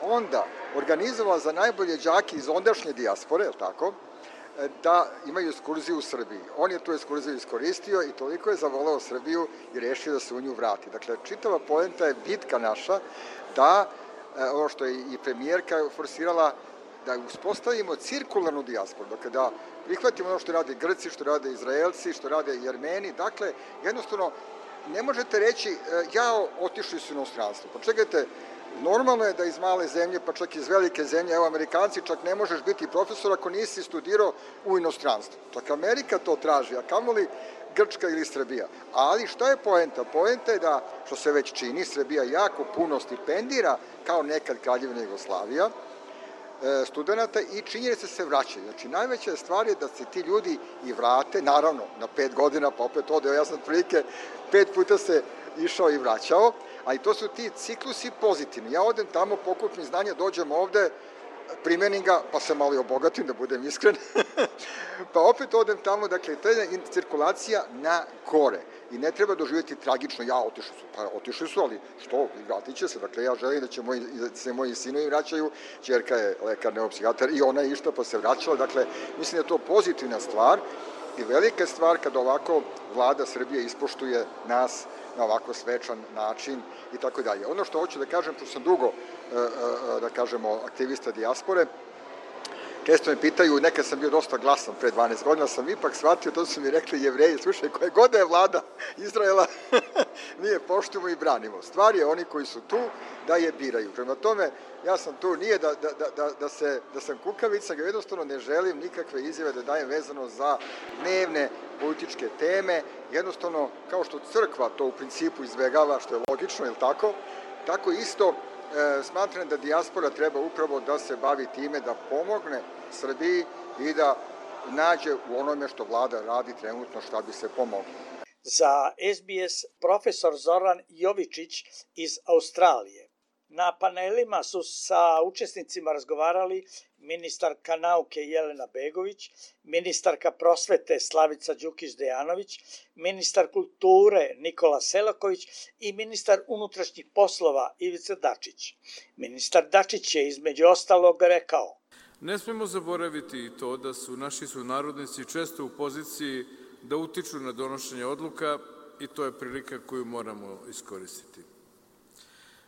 onda organizovala za najbolje đake iz ondašnje dijaspore, je li tako, da imaju ekskurziju u Srbiji. On je tu ekskurziju iskoristio i toliko je zavoleo Srbiju i rešio da se u nju vrati. Dakle, čitava poenta je bitka naša da, ovo što je i premijerka forsirala, da uspostavimo cirkularnu dijasporu, dakle da prihvatimo ono što rade Grci, što rade Izraelci, što rade Jermeni, dakle, jednostavno, ne možete reći, otišli su u inostranstvo. Pa čekajte, normalno je da iz male zemlje, pa čak iz velike zemlje, evo Amerikanci, čak ne možeš biti profesor ako nisi studirao u inostranstvu. Čak Amerika to traži, a kamoli Grčka ili Srbija. Ali šta je poenta? Poenta je da, što se već čini, Srbija jako puno stipendira, kao nekad Kraljevina Jugoslavija, studenta i činjenice se vraćaju. Znači, najveća stvar je da se ti ljudi i vrate, naravno, na 5 godina, pa opet ode, ja sam prilike 5 puta se išao i vraćao, ali to su ti ciklusi pozitivni. Ja odem tamo, pokupim znanja, dođem ovde, primenim ga, pa se malo i obogatim, da budem iskren, pa opet odem tamo, dakle, to je cirkulacija na gore i ne treba doživjeti tragično, otišli su, ali što, vratit će se, dakle, ja želim da se moji sinovi vraćaju, ćerka je lekar, neuropsihijatar i ona je išta pa se vraćala, dakle, mislim da je to pozitivna stvar i velika stvar kada ovako vlada Srbije ispoštuje nas na ovako svečan način i tako dalje. Ono što hoću da kažem, pošto sam dugo, da kažemo, aktivista dijaspore, često me pitaju, nekad sam bio dosta glasan pre 12 godina, sam ipak shvatio, to su mi rekli Jevreji, slušaj, koje god je vlada Izraela, mi je poštujemo i branimo. Stvar je oni koji su tu da je biraju. Prema tome, ja sam tu, nije da sam kukavica, ga jednostavno ne želim nikakve izjave da dajem vezano za dnevne političke teme, jednostavno, kao što crkva to u principu izbegava, što je logično, je li tako? Tako isto smatram da dijaspora treba upravo da se bavi time da pomogne Srbiji i da nađe u onome što vlada radi trenutno šta bi se pomoglo. Za SBS profesor Zoran Jovičić iz Australije. Na panelima su sa učesnicima razgovarali ministarka nauke Jelena Begović, ministarka prosvete Slavica Đukić-Dejanović, ministar kulture Nikola Selaković i ministar unutrašnjih poslova Ivica Dačić. Ministar Dačić je između ostalog rekao: Ne smemo zaboraviti i to da su naši sunarodnici često u poziciji da utiču na donošenje odluka i to je prilika koju moramo iskoristiti.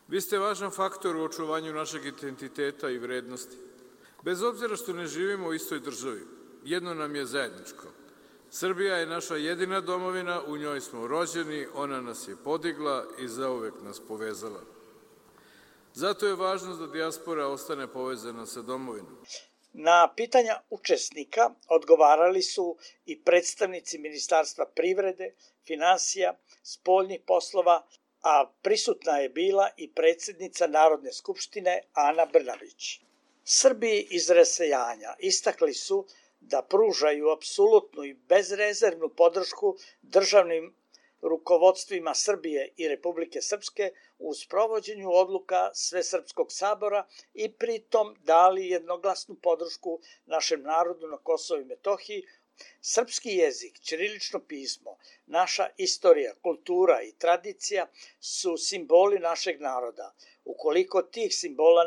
Vi ste važan faktor u očuvanju našeg identiteta i vrednosti. Bez obzira što ne živimo u istoj državi, jedno nam je zajedničko. Srbija je naša jedina domovina, u njoj smo rođeni, ona nas je podigla i zauvek nas povezala. Zato je važno da dijaspora ostane povezana sa domovinom. Na pitanja učesnika odgovarali su i predstavnici Ministarstva privrede, finansija, spoljnih poslova, a prisutna je bila i predsjednica Narodne skupštine Ana Brnabić. Srbi iz rasejanja istakli su da pružaju apsolutnu i bezrezervnu podršku državnim rukovodstvima Srbije i Republike Srpske u sprovođenju odluka Svesrpskog sabora i pritom dali jednoglasnu podršku našem narodu na Kosovu i Metohiji. Srpski jezik, ćirilično pismo, naša istorija, kultura i tradicija su simboli našeg naroda. Ukoliko tih simbola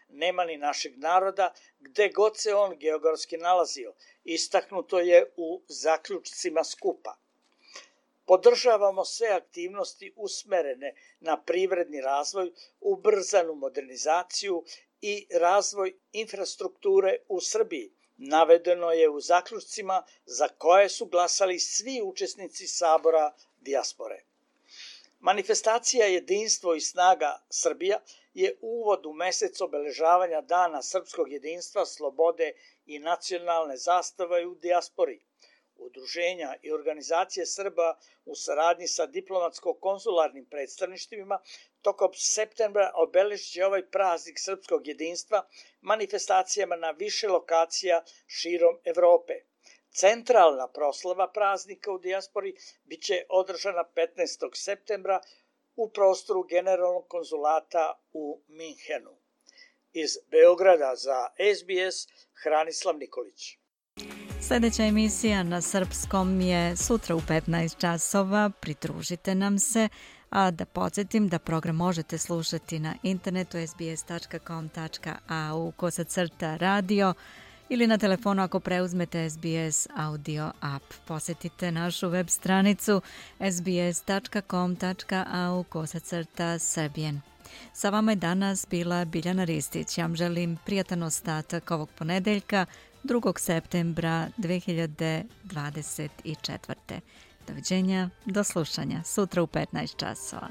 nema ni našeg naroda, gde god se on geografski nalazio, istaknuto je u zaključcima skupa. Podržavamo sve aktivnosti usmerene na privredni razvoj, ubrzanu modernizaciju i razvoj infrastrukture u Srbiji. Navedeno je u zaključcima za koje su glasali svi učesnici Sabora dijaspore. Manifestacija Jedinstvo i snaga Srbija je uvod u mesec obeležavanja Dana srpskog jedinstva, slobode i nacionalne zastave u dijaspori. Udruženja i organizacije Srba u saradnji sa diplomatsko-konzularnim predstavništvima tokom septembra obeležit ovaj praznik srpskog jedinstva manifestacijama na više lokacija širom Evrope. Centralna proslava praznika u dijaspori biće održana 15. septembra u prostoru Generalnog konzulata u Minhenu. Iz Beograda za SBS Hranislav Nikolić. Sljedeća emisija na srpskom je sutra u 15 časova. Pridružite nam se, a da podsjetim da program možete slušati na internetu sbs.com.au/radio ili na telefonu ako preuzmete SBS audio app. Posjetite našu web stranicu sbs.com.au/serbian. Sa vama je danas bila Biljana Ristić. Ja vam želim prijatan ostatak ovog ponedeljka, 2. septembra 2024. Doviđenja, do slušanja, sutra u 15 časova.